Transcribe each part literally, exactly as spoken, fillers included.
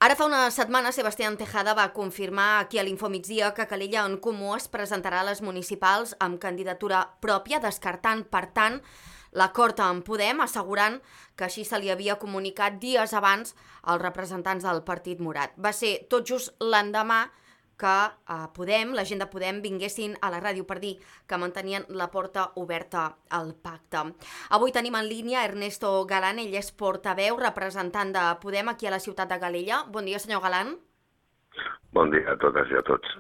Ara fa una setmana, Sebastián Tejada va confirmar aquí a l'Infomigdia que Calella en Comú es presentarà a les municipals amb candidatura pròpia, descartant, per tant, l'acord amb Podem, assegurant que així se li havia comunicat dies abans als representants del Partit Morat. Va ser tot just l'endemà que a Podem, la gent de Podem, vinguessin a la ràdio per dir que mantenien la porta oberta al pacte. Avui tenim en línia Ernesto Galán, ell és portaveu, representant de Podem aquí a la ciutat de Calella. Bon dia, senyor Galán. Bon dia a totes i a tots.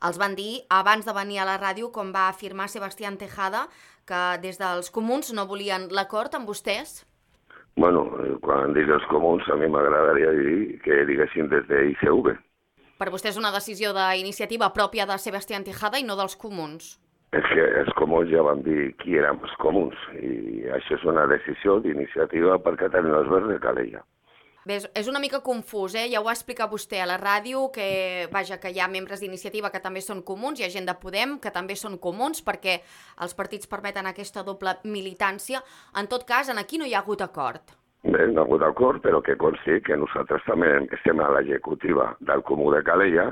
Els van dir, abans de venir a la ràdio, com va afirmar Sebastián Tejada, que des dels comuns no volien l'acord amb vostès? Bueno, quan dic els comuns, a mi m'agradaria dir que diguessin des de I C V. Per vostè és una decisió d'iniciativa pròpia de Sebastián Tejada i no dels comuns? És que els comuns ja van dir qui érem els comuns i això és una decisió d'iniciativa per Catalunya Verds de Calella. Bé, és una mica confús, eh? Ja ho va explicar vostè a la ràdio, que, vaja, que hi ha membres d'iniciativa que també són comuns, hi ha gent de Podem que també són comuns, perquè els partits permeten aquesta doble militància. En tot cas, en aquí no hi ha hagut acord. Bé, no ha hagut acord, però que consti que nosaltres també estem a l'executiva del Comú de Calella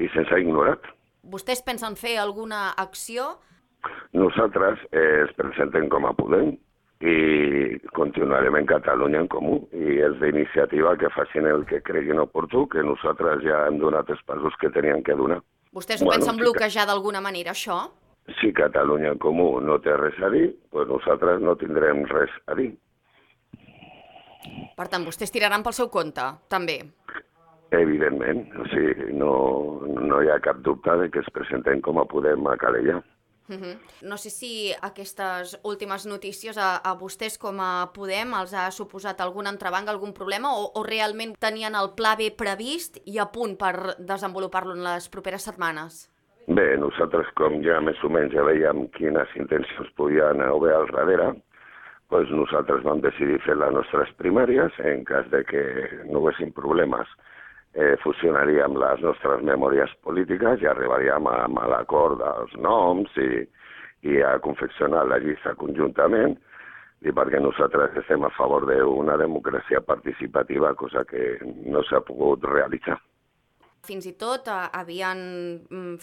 i se'ns ha ignorat. Vostès pensen fer alguna acció? Nosaltres eh, es presentem com a Podem i continuarem en Catalunya en Comú i és d'iniciativa que facin el que creguin oportú, que nosaltres ja hem donat els passos que tenien que donar. Vostès ho bueno, pensen sí bloquejar que... d'alguna manera, això? Si Catalunya en Comú no té res a dir, doncs nosaltres no tindrem res a dir. Per tant, vostès tiraran pel seu compte, també? Evidentment, o sigui, no, no hi ha cap dubte de que es presenten com a Podem a Calella. Uh-huh. No sé si aquestes últimes notícies a, a vostès com a Podem els ha suposat algun entrebanc, algun problema, o, o realment tenien el pla B previst i a punt per desenvolupar-lo en les properes setmanes? Bé, nosaltres com ja més o menys ja veiem quines intencions podien haver al darrere, doncs nosaltres vam decidir fer les nostres primàries. En cas de que no haguessin problemes, eh, fusionaríem les nostres memòries polítiques i arribaríem a, a l'acord dels noms i, i a confeccionar la llista conjuntament, i perquè nosaltres estem a favor d'una democràcia participativa, cosa que no s'ha pogut realitzar. Fins i tot eh, havien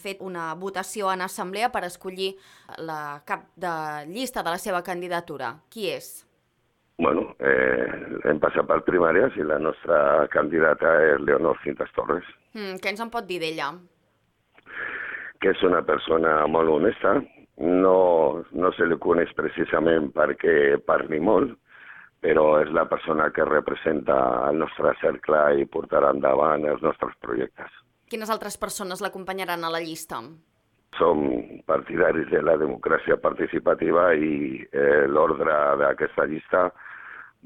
fet una votació en assemblea per escollir la cap de llista de la seva candidatura. Qui és? Bueno, eh, hem passat per primàries i la nostra candidata és Leonor Cintas Torres. Mm, què ens en pot dir d'ella? Que és una persona molt honesta, no, no se li coneix precisament perquè parli molt, però és la persona que representa el nostre cercle i portarà endavant els nostres projectes. Quines altres persones l'acompanyaran a la llista? Som partidaris de la democràcia participativa i eh, l'ordre d'aquesta llista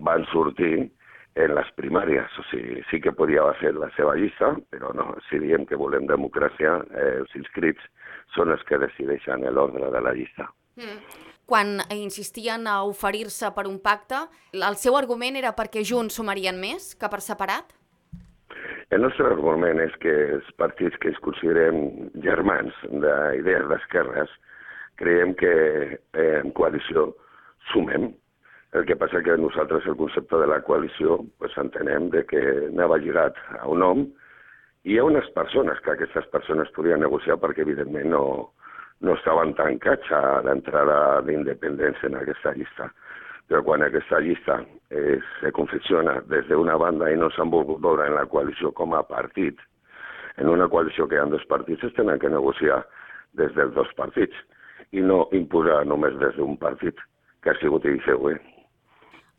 van sortir en les primàries. O sigui, sí que podia ser la seva llista, però no, si diem que volem democràcia, eh, els inscrits són els que decideixen l'ordre de la llista. Mm. Quan insistien a oferir-se per un pacte, el seu argument era perquè junts sumarien més que per separat? El nostre argument és que els partits que ens considerem germans d'idees d'esquerres creiem que eh, en coalició sumem. El que passa que nosaltres el concepte de la coalició pues, entenem de que anava lligat a un nom i hi ha unes persones que aquestes persones podien negociar perquè evidentment no... no estaven tancats a l'entrada d'independència en aquesta llista. Però quan aquesta llista eh, se confecciona des d'una banda i no s'han volgut veure en la coalició com a partit, en una coalició que hi ha dos partits es tenen que negociar des dels dos partits i no imposar només des d'un partit, que ha sigut I C V.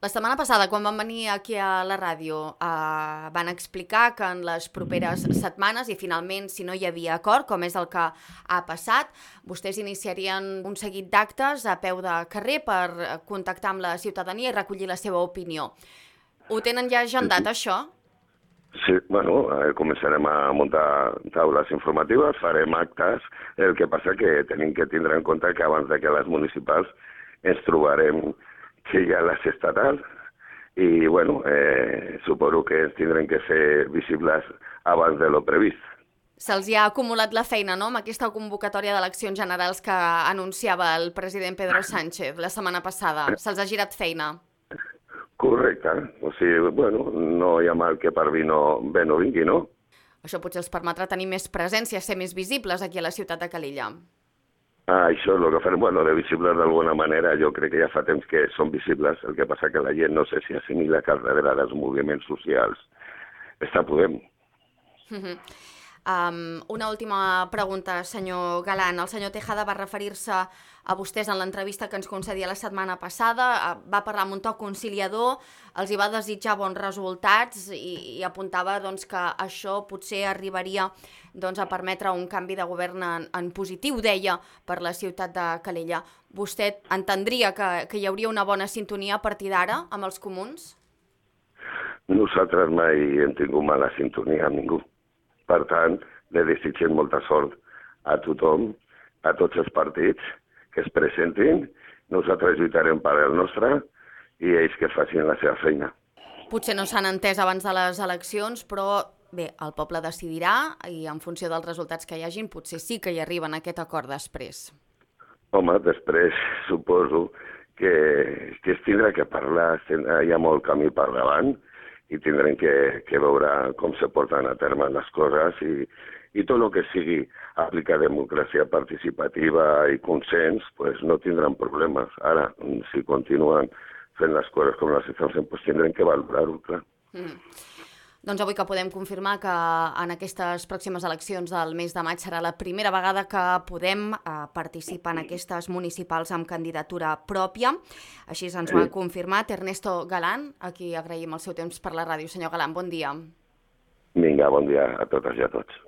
La setmana passada, quan van venir aquí a la ràdio, eh, van explicar que en les properes setmanes, i finalment, si no hi havia acord, com és el que ha passat, vostès iniciarien un seguit d'actes a peu de carrer per contactar amb la ciutadania i recollir la seva opinió. Ho tenen ja agendat, sí, això? Sí, bueno, eh, començarem a muntar taules informatives, farem actes, el que passa que tenim que tindre en compte que abans de que les municipals ens trobarem que hi ha les estatals i, bueno, eh, suposo que ens tindrem que ser visibles abans de lo previst. Se'ls hi ha acumulat la feina, no?, amb aquesta convocatòria d'eleccions generals que anunciava el president Pedro Sánchez la setmana passada. Se'ls ha girat feina. Correcte. O sigui, bueno, no hi ha mal que per vi no, bé no vingui, no? Això potser els permetrà tenir més presència, ser més visibles aquí a la ciutat de Calella. Ah, això és el que farem. Bueno, de visibles d'alguna manera, jo crec que ja fa temps que són visibles, el que passa que la gent no sé si assimila que al darrere dels moviments socials està Podem. Uh-huh. Um, una última pregunta, senyor Galán. El senyor Tejada va referir-se a vostès en l'entrevista que ens concedia la setmana passada, va parlar amb un to conciliador, els hi va desitjar bons resultats i, i apuntava doncs, que això potser arribaria doncs, a permetre un canvi de govern en, en positiu, deia, per la ciutat de Calella. Vostè entendria que, que hi hauria una bona sintonia a partir d'ara amb els comuns? Nosaltres mai hem tingut mala sintonia amb ningú. Per tant, li desitgem molta sort a tothom, a tots els partits que es presentin. Nosaltres lluitarem per el nostre i ells que facin la seva feina. Potser no s'han entès abans de les eleccions, però bé, el poble decidirà i en funció dels resultats que hi hagin potser sí que hi arriben a aquest acord després. Home, després suposo que, que es tindrà que parlar, hi ha molt camí per davant, i tindrem que, que veure com se porten a terme les coses i, i tot el que sigui aplicar democràcia participativa i consens, pues no tindran problemes. Ara, si continuen fent les coses com les estan fent, pues tindrem que valorar-ho, clar. Mm. Doncs avui que podem confirmar que en aquestes pròximes eleccions del mes de maig serà la primera vegada que podem eh, participar en aquestes municipals amb candidatura pròpia. Així ens ho ha confirmat Ernesto Galán, a qui agraïm el seu temps per la ràdio. Senyor Galán, bon dia. Vinga, bon dia a totes i a tots.